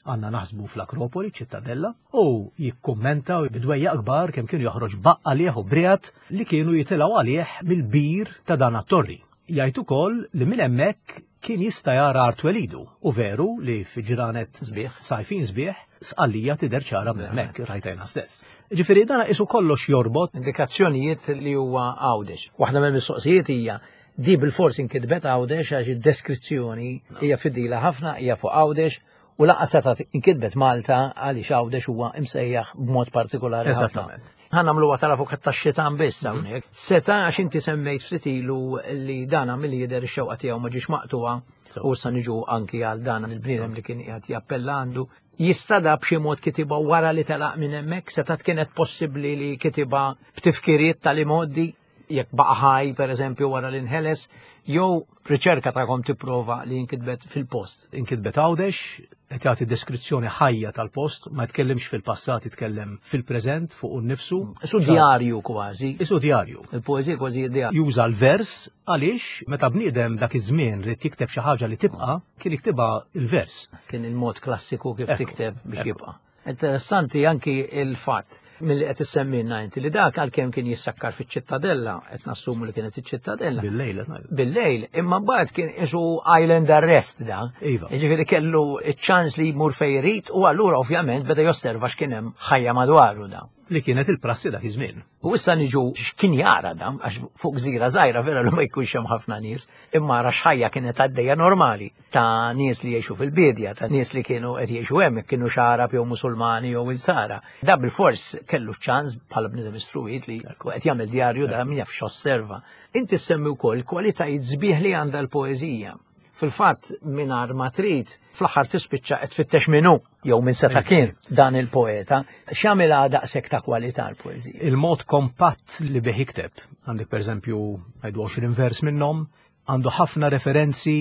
għandna naħsbu fl-Akropoli, ċittadella, u jikkummenta bidwejja kbar kemm kienu joħroġ baqqa għalih u briat li kienu jitilgħu għalih mill-bir ta' dan it-torri. Jgħid ukoll li minn hemmhekk kien jista' jara art twelidu u veru li fi ġranet Sbieħ. sajfin sbieħ Sqallija tidher ċara minn hemmhekk rajtajna stess. Ġifieri dan isu kollox jorbot. Indikazzjonijiet li huwa Għawdex. Waħda mill-mistoqsijiet hija di bil-fors inkitbet Għawdex għax id-deskrizzjoni hija fidila ħafna, hija fuq Għawdex u lanqas seta' inkitbet Malta għaliex Għawdex huwa imsejjaħ b'mod partikolari ħafna. Eżattament. Ħa nagħmluha tal-avukat tax-xitan biss hawnhekk. Seta' għax inti semmejt ftit ilu li dana milli jidher ix-xewqa tiegħu ma ġiex maqtuha So. u issa niġu anki għal dan il-bniedem li kien qiegħed jappella għandu. Jista' da b'xi mod kitibha wara li telaq minn hemmhekk, seta' kienet possibbli li kitibha b'tifkiriet tal-imoddi jekk baqa' ħaj pereżempju wara li nħeles, jew riċerka tagħkom tipprova li jinkitbet fil-post. Inkitbet Għawdex, qed jagħti deskrizzjoni ħajja tal-post, ma jitkellimx fil-passat, jitkellem fil-preżent fuq innifsu. Isu djarju kważi. Isu djarju. Il-poeżija kważi djarju. Juża l-vers għaliex meta bniedem dak iż-żmien rid jikteb xi ħaġa li tibqa', kien jiktibha il-vers. Kien il-mod klassiku kif Ekku, tikteb biex ekku. jibqa'. Interessanti anki il-fatt milli qed issemmilna inti li dak għalkemm kien jissakkar fiċ-ċittadella, qed nassumu li kienet iċ-ċittadella. Bil-lejl qed ngħidu. Bil-lejl, imma mbagħad kien isu island arrest da. Iva. Jiġifieri kellu ċ-ċans li jmur fejn irid u allura ovvjament beda josserva x'kien hemm ħajja madwaru da. Li kienet il-prassi dak iż-żmien. U issa niġu x'kien jara da, għax fuq gżira żgħira vera li ma jkunx hemm ħafna nies, imma ra x'ħajja kienet għaddejja normali ta' nies li jgħixu fil-bidja, ta' nies li kienu qed jgħixu hemm, kienu xarab jew Musulmani jew Insara. Da bil-fors kellu ċans bħala bniedem istruwit li qed jagħmel djarju da min jaf x'osserva. Inti semmi wkoll kwalitajiet sbieħ li għandha l-poeżija. Fil-fatt mingħajr ma trid fl-aħħar tispiċċa qed tfittex minnu jew minn seta' kien dan il-poeta. X'jagħmilha daqshekk ta' kwalità l-poeżija? Il-mod kompatt li bih jikteb, għandek pereżempju ngħidu għoxrin vers minnhom, għandu ħafna referenzi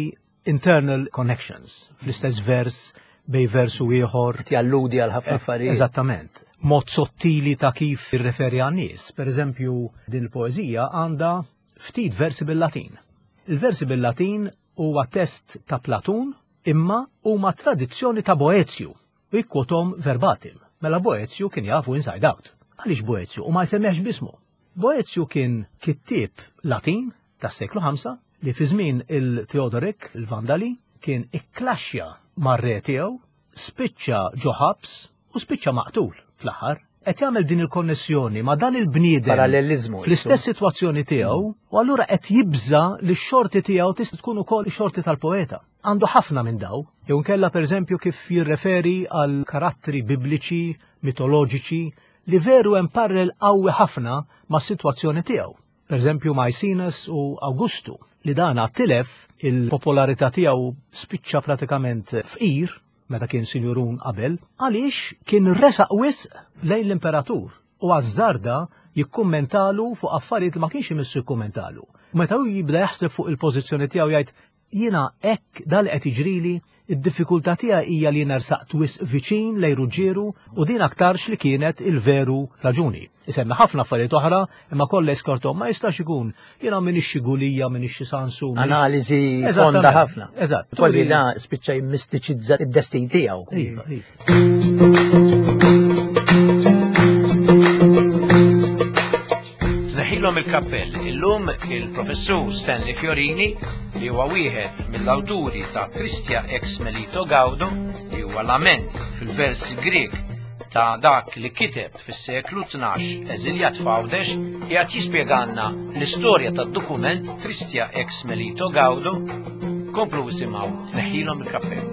internal connections, fl-istess vers bej vers u ieħor. Qed jalludi għal ħafna affarijiet. Eżattament. Mod sottili ta' kif jirreferi għan-nies. Per eżempju, din il-poeżija għandha ftit versi bil-Latin. Il-versi bil-Latin huwa test ta' Platun imma huma tradizzjoni ta' Boezju u jikkwotom verbatim. Mela Boezju kien jafu inside out. Għaliex Boezju? U ma jsemmiex bismu. Boezju kien kittieb Latin tas-seklu ħamsa li fi żmien il-Theodoric, il-Vandali, kien ikklaxxja mar-re tiegħu, spiċċa ġo ħabs u spiċċa maqtul fl-aħħar. Qed jagħmel din il-konnessjoni ma' dan il-bniedem Parallelizmu, fl-istess sitwazzjoni tiegħu, u allura qed jibża li x-xorti tiegħu tista' tkun ukoll ix-xorti tal-poeta. Għandu ħafna minn daw, jew nkella pereżempju kif jirreferi għal karattri bibliċi, mitoloġiċi, li veru hemm parallel qawwi ħafna mas-sitwazzjoni tiegħu. Pereżempju Maecenas u Augustu, li dan tilef il-popolarità tiegħu spiċċa pratikament fqir meta kien sinjurun qabel, għaliex kien resaq wisq lejn l-imperatur u għażżarda jikkummentalu fuq affarijiet li ma kienx imissu jikkummentalu. Meta hu jibda jaħseb fuq il-pożizzjoni tiegħu jgħid jiena hekk dal qed jiġrili, id-diffikultà tiegħi hija li nersaqt wisq viċin lejn Ruġġieru u din aktarx li kienet il-veru raġuni. Isemmi ħafna affarijiet oħra, imma kollha jiskortom ma jistax ikun. Jiena m'iniex xi Gulija, m'iniex xi Sansu, m'iniex Analiżi Eżattament. fonda ħafna. Eżatt. Kważi Turi da spiċċa jimmistiċizza id-destin tiegħu. Iva, iva. Tneħħilhom il-kappell. Illum il-professur Stanley Fiorini, li huwa wieħed mill-awturi ta' Tristia ex Melito Gaudo, li huwa lament fil-vers Grek ta' dak li kiteb fis-seklu tnax eżiljat f'Għawdex, qiegħed jispjegalna l-istorja tad-dokument Tristia ex Melito Gaudo. Komplu isimgħu Tneħħilhom il-kappell.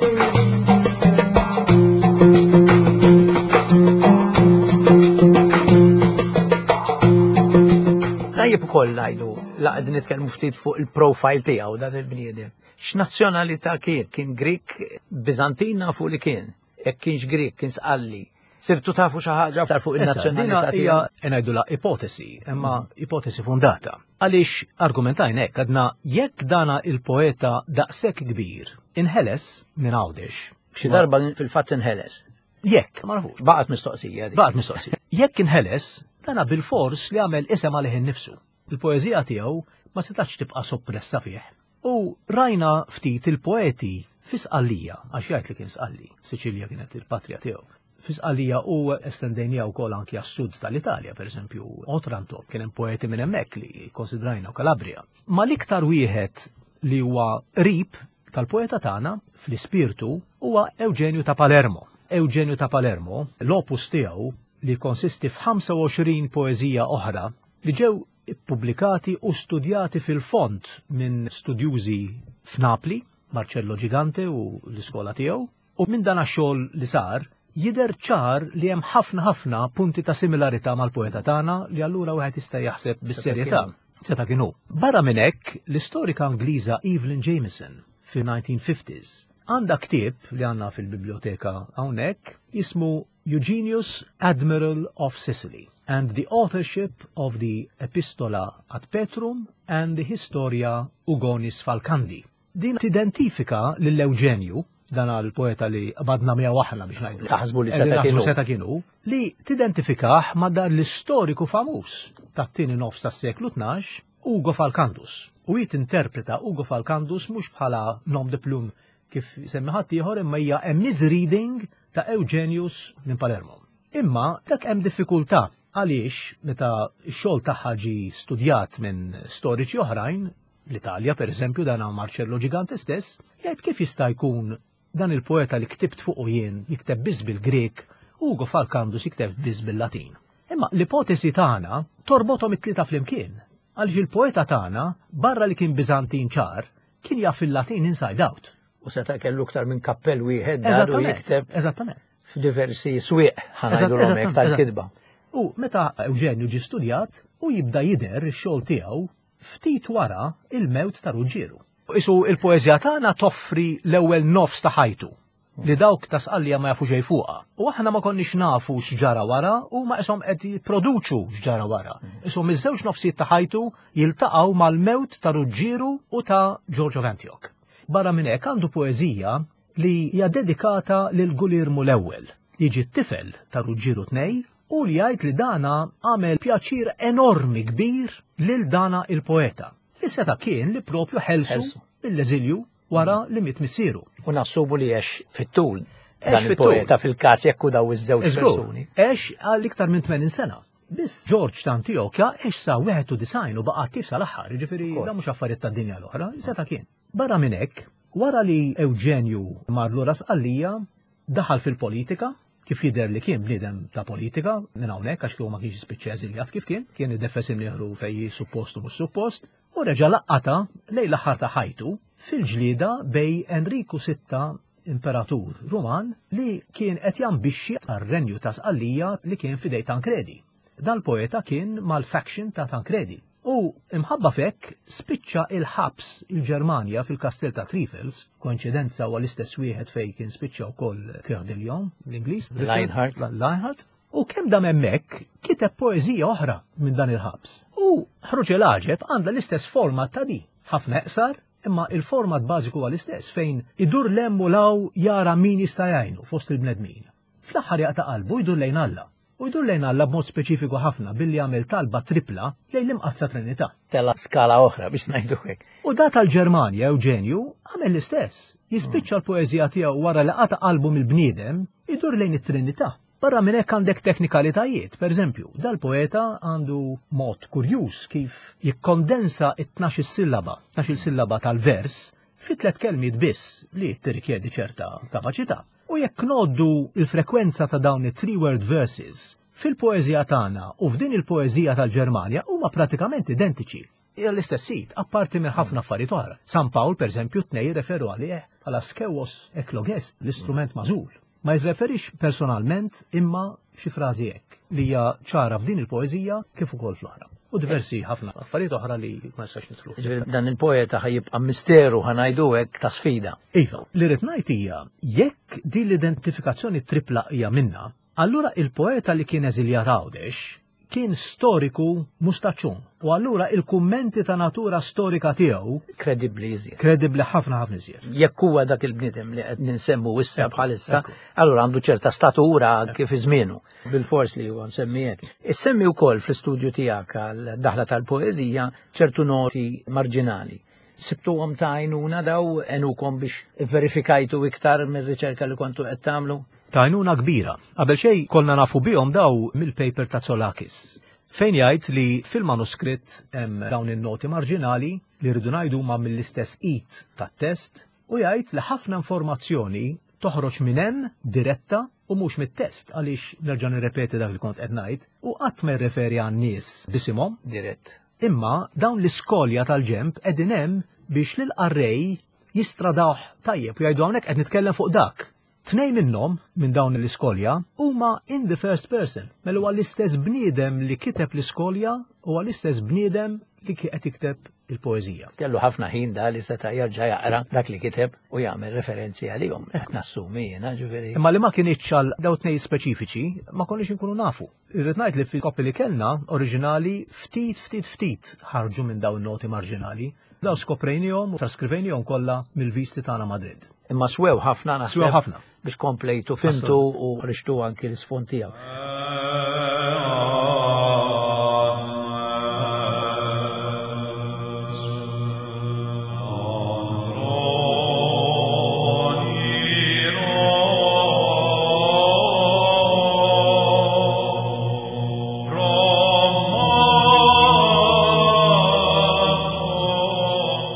Tajjeb Ukoll ngħidu, la qegħdin nitkellmu ftit fuq il-profile tiegħu dan il-bniedem. X'nazzjonalità kien? Kien Grik, Biżantin nafu li kien. Jekk kienx Grik, kien Sqalli. Sirtu tafu xi ħaġa aktar fuq il-nazzjonalità tiegħu? Ngħidulha ipotesi, imma ipotesi fondata. Għaliex argumentajna hekk, għadna jekk dana il-poeta daqshekk kbir inħeles minn Għawdex. Xi darba fil-fatt inħeles. Jekk, ma nafux. Baqgħet mistoqsija. Baqgħet mistoqsija. Jekk inħeles, dana bil-fors li għamel isem għalih innifsu. Il-poeżija tiegħu ma setax tibqa' soppressa fih. U rajna ftit il-poeti fi Sqallija, għax jgħid li kien Sqalli, Siċilja kienet il-patrija tiegħu. Fi Sqallija u estendejnija wkoll anki għas-sud tal-Italja, pereżempju Otranto, kien hemm poeti minn hemmhekk li konsidrajna u Kalabria. Ma l-iktar wieħed li huwa qrib tal-poeta tagħna fl-ispirtu huwa Eugenju ta' Palermo. Eugenju ta' Palermo, l-opus tiegħu li konsisti f'ħamsa u għoxrin poeżija oħra li ġew ippubblikati u studjati fil-fond minn studjużi f'Napli, Marcello Gigante u l-iskola tiegħu, u minn dan għax-xogħol li sar jidher ċar li hemm ħafna ħafna punti ta' similarità mal-poeta tagħna li allura wieħed jista' jaħseb bis-serjetà. Seta' kienu. Barra minn hekk, l-istorika Ingliża Evelyn Jameson fi nineteen fifties għandha ktieb li għandna fil-biblioteka hawnhekk jismu Eugenius, Admiral of Sicily and the Authorship of the Epistola ad Petrum and the Historia Ugonis Falcandi. Din tidentifika lil Eugenju, dan għal-poeta li qbadna miegħu aħna biex ngħidu. Taħsbu li Qegħdin seta' naħsbu kienu. seta' kienu, li tidentifikah ma' dan l-istoriku famuż tat-tieni nofs tas-seklu tnax, Ugo Falcandus. U hi tinterpreta Ugo Falcandus mhux bħala nom de plume kif semmi ħadd ieħor, imma hija a misreading ta' Eugenius minn Palermo. Imma dak hemm diffikultà għaliex meta x-xogħol tagħha ġie studjat minn storiċi oħrajn, l-Italja per eżempju dan Marcello Gigante stess, jgħid kif jista' jkun dan il-poeta li ktibt fuqu jien jikteb biss bil-Grek, Ugo Falcandus jikteb biss bil-Latin. Imma l-ipotesi tagħna torbothom it-tlieta flimkien, għaliex il-poeta tagħna barra li kien Biżantin ċar, kien jaf il-Latin inside out. U seta' kellu aktar minn kappell wieħed daru Eżattament, jikteb eżattament. f'diversi swieq, ħa ngħidu Eżatt, l-omek eżattament, tal-kitba. U meta Eugenju ġie studjat u jibda jidher ix-xogħol tiegħu ftit wara il-mewt ta' Ruġġieru. Isu il-poeżija tagħna toffri l-ewwel nofs ta' ħajtu li dawk ta' Sqallija ma jafu xejn fuqha. U aħna ma konniex nafu x'ġara wara u ma ishom qed jipproduċu x'ġara wara. Ishom iż-żewġ nofsijiet ta' ħajtu jiltaqgħu mal-mewt ta' Ruġġieru u ta' George of Antioch. Barra minn hekk għandu poeżija li hija dedikata lil Gulirmu l-ewwel, jiġi t-tifel ta' Ruġġieru tnej, u li jgħid li dana għamel pjaċir enormi kbir lil dana il-poeta. Li seta' kien li propju ħelsu Ħelsu. mill-eżilju wara li miet missieru. U nassubu li għex fit-tul Għex dan fit-tul. il-poeta fil-każ jekk hu daw iż-żewġ Iżgur, persuni. Għex għal iktar minn tmenin sena. Biss George ta' Antiochia għex sa wieħed u disgħin u baqa' attiv sal-aħħar, jiġifieri Ukoll. dan mhux affarijiet tad-dinja l-oħra, seta' kien. Barra minn hekk, wara li Eugenju mar lura Sqallija, daħal fil-politika, kif jidher li kien bniedem ta' politika, minn hawnhekk għax kieku ma kienx jispiċċa eżiljat kif kien, kien ideffes imnieħru fejn suppost u mhux suppost, u reġa' laqqata lejn l-aħħar ta' ħajtu fil-ġlieda bej Enriku sitta imperatur Ruman li kien qed jambixxi għar-renju ta' Sqallija li kien fidej Tancredi. Dal-poeta kien mal-faction ta' Tancredi. U imħabba fekk spiċċa il-ħabs il-Ġermanja fil-kastell ta' Trifels, koinċidenza huwa l-istess wieħed fejn kien spiċċa wkoll Coeur de Lion, l-Ingliż, Lionheart. Lionheart. U kemm dam hemmhekk kiteb poeżija oħra minn dan il-ħabs. U ħruġ il-għaġeb għandha l-istess format ta' di, ħafna eqsar, imma il-format bażiku huwa l-istess fejn idur lem u law jara min jista' jgħinu fost il-bnedmin. Fl-aħħar jaqta' qalbu jdur lejn Alla. U jdur lejn Alla b'mod speċifiku ħafna billi jagħmel talba tripla lejn l-Imqaddsa Trinità. Tela skala oħra biex ngħidu hekk. U da tal-Ġermanja Eugenju għamel l-istess. Jispiċċa l-poeżija tiegħu wara li qata' qalbu mill-bniedem idur lejn it-Trinità. Barra minn hekk għandek teknikalitajiet, per eżempju, dal-poeta għandu mod kurjuż kif jikkondensa it-tnax-il sillaba, tnax-il sillaba tal-vers fi tliet kelmiet biss li tirrikjedi ċerta kapaċità. U jekk noddu il-frekwenza ta' dawn it-three-word verses fil-poeżija tagħna u f'din il-poeżija tal-Ġermanja huma pratikament identiċi. Hija l-istess sit, apparti minn ħafna affarijiet oħra. San Pawl, per eżempju, tnej referu għalih bħala skewos eklogest, l-istrument magħżul. Ma jirreferix personalment imma xi frażi hekk. li hija ċara f'din il-poeżija kif ukoll fl-oħra. U diversi ħafna affarijiet oħra li ma nistax nidħlu. Ġifieri dan il-poeta ħa jibqa' misteru, ħa ngħidu hekk, ta' sfida. Iva, li rrid ngħid hija jekk din l-identifikazzjoni tripla hija minna, allura il-poeta li kien eżiljat Għawdex kien storiku mustaċċun. U allura il-kummenti ta' natura storika tiegħu kredibbli iżjed. Kredibbli ħafna ħafna iżjed. Jekk huwa dak il-bniedem li qed ninsemmu issa Ekku, bħalissa, ekku. allura għandu ċerta statura kif iżmienu. Bil-fors li huwa msemmi hekk. Issemmi wkoll fl-istudju tiegħek għal daħla tal-poeżija ċertu noti marġinali. Sibtuhom ta' għajnuna daw għenukom biex verifikajtu iktar mir-riċerka li kontu qed tagħmlu? Ta' għajnuna kbira. Qabel xejn konna nafu bihom daw mill-paper ta' Tsolakis. Fejn jgħid li fil-manuskritt hemm dawn in-noti marġinali li rridu ngħidu huma mill-istess id tat-test u jgħid li ħafna informazzjoni toħroġ minn hemm diretta u mhux mit-test, għaliex nerġa' nirrepeti dak li kont qed ngħid u qatt ma jirreferi għan-nies bisimhom dirett. Imma dawn l-iskolja tal-ġemp qegħdin hemm biex lill-qarrej jistradawh tajjeb u jgħidu hawnhekk qed nitkellem fuq dak. Tnejn minnhom minn dawn l-iskolja huma in the first person. Mela huwa l-istess bniedem li kiteb l-iskolja huwa l-istess bniedem li qed jikteb il-poeżija. Kellu ħafna ħin da li seta' jerġa' jaqra dak li kiteb u jagħmel referenzi għalihom. Qed nassumi jiena, ġifieri. Imma li ma kienx għal daw tnejn speċifiċi ma konniex inkunu nafu. Irrid ngħid li fil-koppi li kellna oriġinali ftit ftit ftit ħarġu minn dawn noti marġinali. Daw skoprejnihom u traskrivejnihom kollha mill-visti tagħna Madrid. Imma swew ħafna naħseb. Swew ħafna. Biex komplejtu fimtu u rixtu anki l-isfond tiegħu.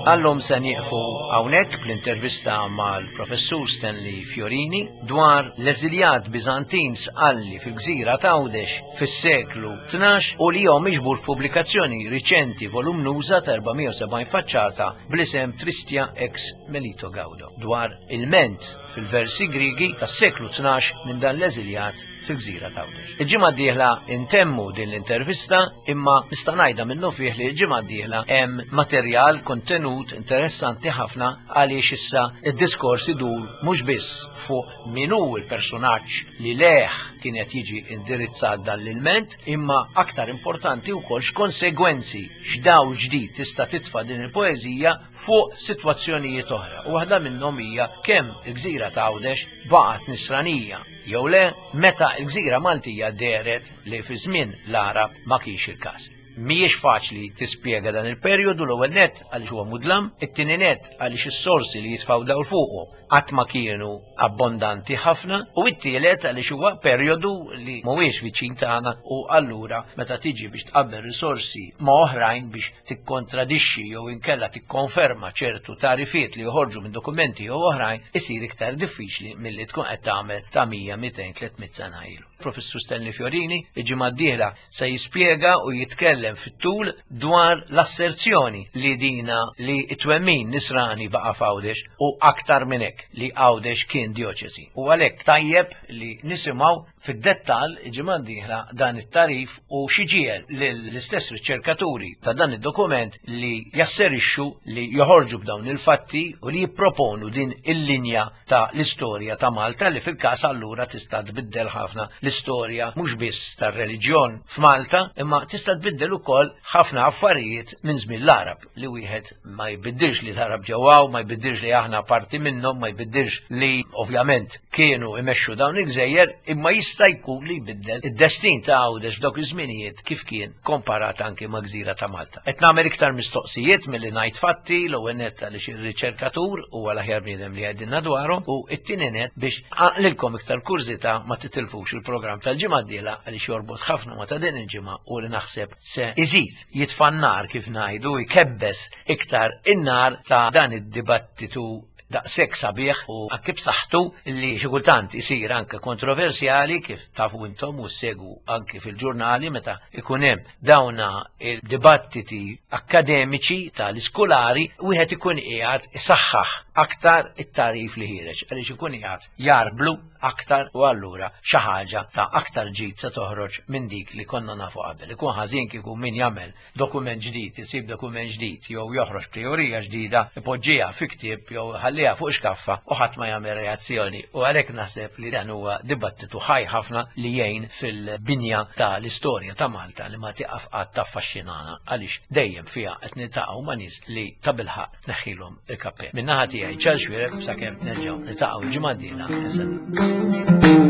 Għallum se nieqfu hawnhekk bl-intervista mal-Professur Stanley Fiorini dwar l-eżiljat Biżantin sqalli fil-gżira ta' Għawdex fis-seklu tnax u li huwa miġbur f'pubblikazzjoni riċenti volumnuża ta' erba' mija u sebgħin faċċata bl-isem Tristia ex Melito Gaudo dwar il-ment fil-versi Grigi tas-seklu tnax minn dan l-eżiljat fil-gżira ta' Għawdex. Il-ġimgħa d-dieħla intemmu din l-intervista, imma nista' ngħidha minnu fih li l-ġimgħa d-dieħla hemm materjal kontenut interessanti ħafna għaliex issa id-diskors idur mhux biss fuq min hu l-personaġġ li leħ kien qed jiġi indirizzat dan l-ilment, imma aktar importanti wkoll x'konsegwenzi, x'dawl ġdid tista' titfa' din il-poeżija fuq sitwazzjonijiet oħra. U waħda minnhom hija kemm il-gżira ta' Għawdex baqgħet nisranija jew le meta l-gżira Maltija dehret li fi żmien l-Għarab ma kienx il-każ. Mhijiex faċli tispjega dan il-perjodu, l-ewwel nett għaliex huwa mudlam, it-tieni nett għaliex is-sorsi li jitfgħu dawl fuqu qatt ma kienu abbondanti ħafna, u t-tielet għaliex huwa perjodu li mhuwiex viċin tagħna u allura meta tiġi biex tqabbel risorsi ma' oħrajn biex tikkontradixxi jew inkella tikkonferma ċertu tarifiet li joħorġu minn dokumenti jew oħrajn isir iktar diffiċli milli tkun qed tagħmel ta' mija, mitejn, tliet mitt sena ilu. Professur Stanley Fiorini il-ġimgħa d-dieħla se jispjega u jitkellem fit-tul dwar l-asserzjoni li dina li t-twemmin nisrani baqa' f'Għawdex u aktar minn hekk li Għawdex kien dioċesi. U għalhekk tajjeb li nisimgħu fid-dettall il-ġimgħa d-dieħla dan it-tarif u xi ġiegħel lill-istess riċerkaturi ta' dan id-dokument li jasserixxu li joħorġu b'dawn il-fatti u li jipproponu din il-linja ta' l-istorja ta' Malta li fil-każ allura tista' tbiddel ħafna l-istorja mhux biss tar-reliġjon f'Malta, imma tista' tbiddel ukoll ħafna affarijiet minn żmien l-Għarab li wieħed ma jbiddilx li l-Għarab ġewwaw, ma jbiddilx li aħna parti minnhom, ma jbiddilx li ovvjament kienu imexxu dawn il-gżejjer, imma jista' jkun li jbiddel id-destin ta' Għawdex f'dawk iż-żminijiet kif kien komparat anke ma' gżira ta' Malta. Qed nagħmel iktar mistoqsijiet milli ngħid fatti, l-ewwel nett għaliex ir-riċerkatur huwa l-aħjar bniedem li jgħidilna dwarhom, u t-tieni nett biex għaqlilkom iktar kurżità ma titilfux il-programm tal-ġimgħa d-dieħla għaliex jorbot ħafna ma' ta' din il-ġimgħa u li naħseb se iżid jitfa' n-nar kif ngħidu, jkebbes iktar in-nar ta' dan id-dibattitu daqshekk sabiħ u anke b'saħħtu li xi kultant isir anke kontroversjali, kif tafu intom u ssegwu anke fil-ġurnali meta ikun hemm dawna il-dibattiti akkademiċi tal-iskulari, wieħed ikun qiegħed isaħħaħ aktar it-tagħrif li ħiereġ għaliex ikun qiegħed jarblu aktar u allura xi ħaġa ta' aktar ġid se toħroġ minn dik li konna nafu qabel. Ikun ħażin kieku min jagħmel dokument ġdid, isib dokument ġdid jew joħroġ teorija ġdida, ipoġġiha fi ktieb jew ħalliha fuq xkaffa u ħadd ma jagħmel reazzjoni. U għalhekk naħseb li dan huwa dibattitu ħaj ħafna li jgħin fil-binja ta' l-istorja ta' Malta li ma tieqaf qatt taffaxxinana, għaliex dejjem fiha qed niltaqgħu ma' nies li tabilħaqq tneħħilhom il-kappell. Min-naħa tiegħi, Charles Xuereb, sakemm nerġgħu niltaqgħu l-ġimgħa d-dieħla.